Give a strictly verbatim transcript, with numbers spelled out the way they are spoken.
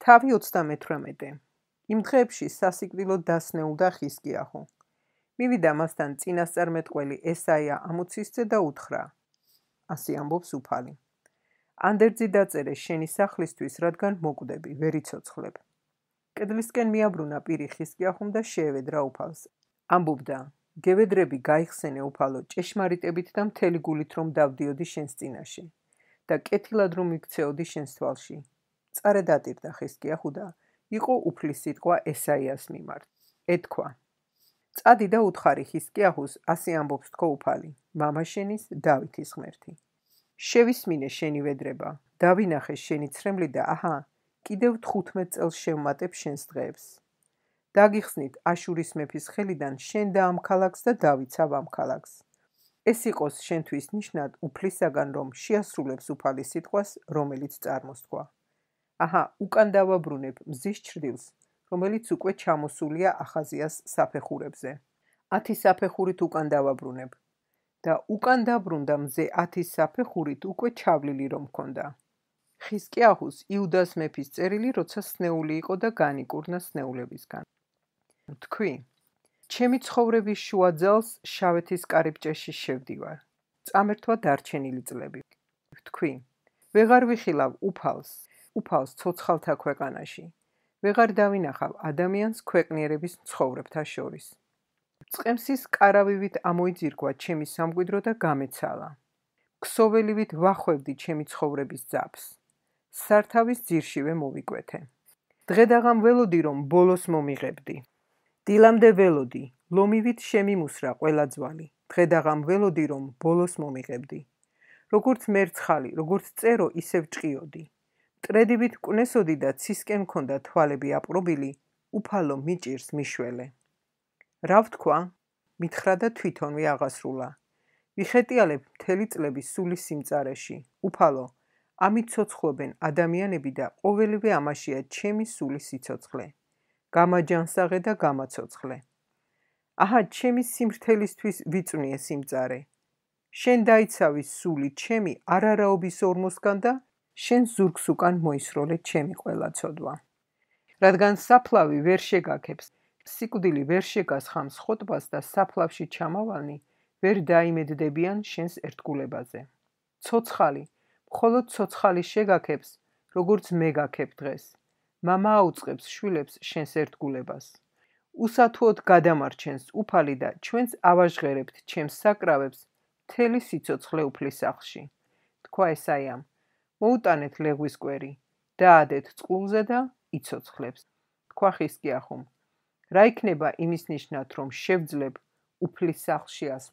თავი ოცდამეთვრამეტე. იმ დღეებში სასიკვდილოდ დასნეულდა ხიზკიაჰუ. მივიდა მასთან წინასწარმეტყველი ესაია ამოცისძე და უთხრა. ასე ამბობს უფალი. ანდერძი დაწერე შენი სახლისთვის, რადგან მოკვდები, ვერ იცოცხლებ. კედლისკენ მიაბრუნა პირი ხიზკიაჰუმ და შეევედრა უფალს. ამბობდა, გევედრები გაიხსენე უფალო ჭეშმარიტებით და მთელი გულით რომ დავდიოდი შენს წინაშე და კეთილად რომ მიქცეოდი შენს თვალში. წარე დატირდა ხიზკიაჰუ და იყო უფლის სიტყვა ესაიას მიმართ. ეთქვა. წადი და უთხარი ხიზკიაჰუს, ასე ამბობს თქო უფალი, მამა შენის დავითის ღმერთი. შევისმინე შენი ვედრება, დავინახე შენი ცრემლი და აჰა, კიდევ თხუთმეტ წელს შევმატებ შენს დღეებს. დაგიხსნით აშურის მეფის ხელიდან შენ და ამ ქალაქს და დავითსავ ამ ქალაქს. ეს იყოს შენთვის ნიშნად უფლისაგან, რომ შეასრულებს უფალის სიტყვას, რომელიც წარმოსთქვა. აჰა, უკან დავაბრუნებ მზის ჩრდილს, რომელიც უკვე ჩამოსულია ახაზიას საფეხურებზე. ათი საფეხურით უკან დავაბრუნებ და უკან დაბრუნდა მზე ათის საფეხურით უკვე ჩავლილი რომ მქონდა. ხიზკიაჰუს იუდას მეფის წერილი, როცა სნეული იყო და განიკურნა სნეულებისგან. თქვი, ჩემი ცხოვრების შუა ძალს შავეთის კარიბჭეში შევდივარ. წამერთვა დარჩენილი წლები. თქვი, ვეღარ ვიხილავ უფალს, უფალს ცოცხალთა ქვეყანაში. ვეღარ დავინახავ ადამიანს ქვეყნიერების მცხოვრებთა შორის. წყემსის კარავივით ამოიძირგვა ჩემი სამკვიდრო და გამეცალა. ქსოველივით ვახვევდი ჩემი ცხოვრების ძაფს. სართავის ძირშივე მოვიკვეთე. დღედაღამ ველოდი რომ ბოლოს მომიღებდი. დილამდე ველოდი, ლომივით შემიმუსრა ყველა ძვალი. დღედაღამ ველოდი რომ ბოლოს მომიღებდი. როგორც მერცხალი, როგორც წერო, ისევ ჭყიოდი. მტრედივით მკვნესოდი და ცისკენ მქონდა თვალები აპყრობილი, უფალო მიჭირს მიშველე. რა ვთქვა? მითხრა და თვითონვე აღასრულა. ვიხეტიალებ მთელი წლები სულის სიმწარეში. უფალო, ამით ცოცხლობენ ადამიანები და ყოველივე ამაშია ჩემი სულის სიცოცხლე. გამაჯანსაღე და გამაცოცხლე. აჰა, ჩემი სიმრთელისთვის ვიწვნიე სიმწარე. შენ დაიცავი სული ჩემი არარაობის ორმოსგან და შენ ზურგს უკან მოისროლე ჩემი ყველა ცოდვა. რადგან საფლავი ვერ შეგაქებს, სიკვდილი ვერ შეგასხამს ხოტბას და საფლავში ჩამავალნი ვერ დაიმედდებიან შენს ერთგულებაზე. ცოცხალი, მხოლოდ ცოცხალი შეგაქებს, როგორც მე გაქებ დღეს. მამა აუწყებს შვილებს შენს ერთგულებას. უსათუოდ გადამარჩენს უფალი და ჩვენც ავაჟღერებთ ჩემს საკრავებს მთელი სიცოცხლე უფლის სახლში. თქვა ესაიამ, მოუტანეთ ლეღვის კვერი, დაადეთ წყლულზე და იცოცხლებს. თქვა ხიზკიაჰუმ, რა იქნება იმის ნიშნად, რომ შევძლებ უფლის სახლში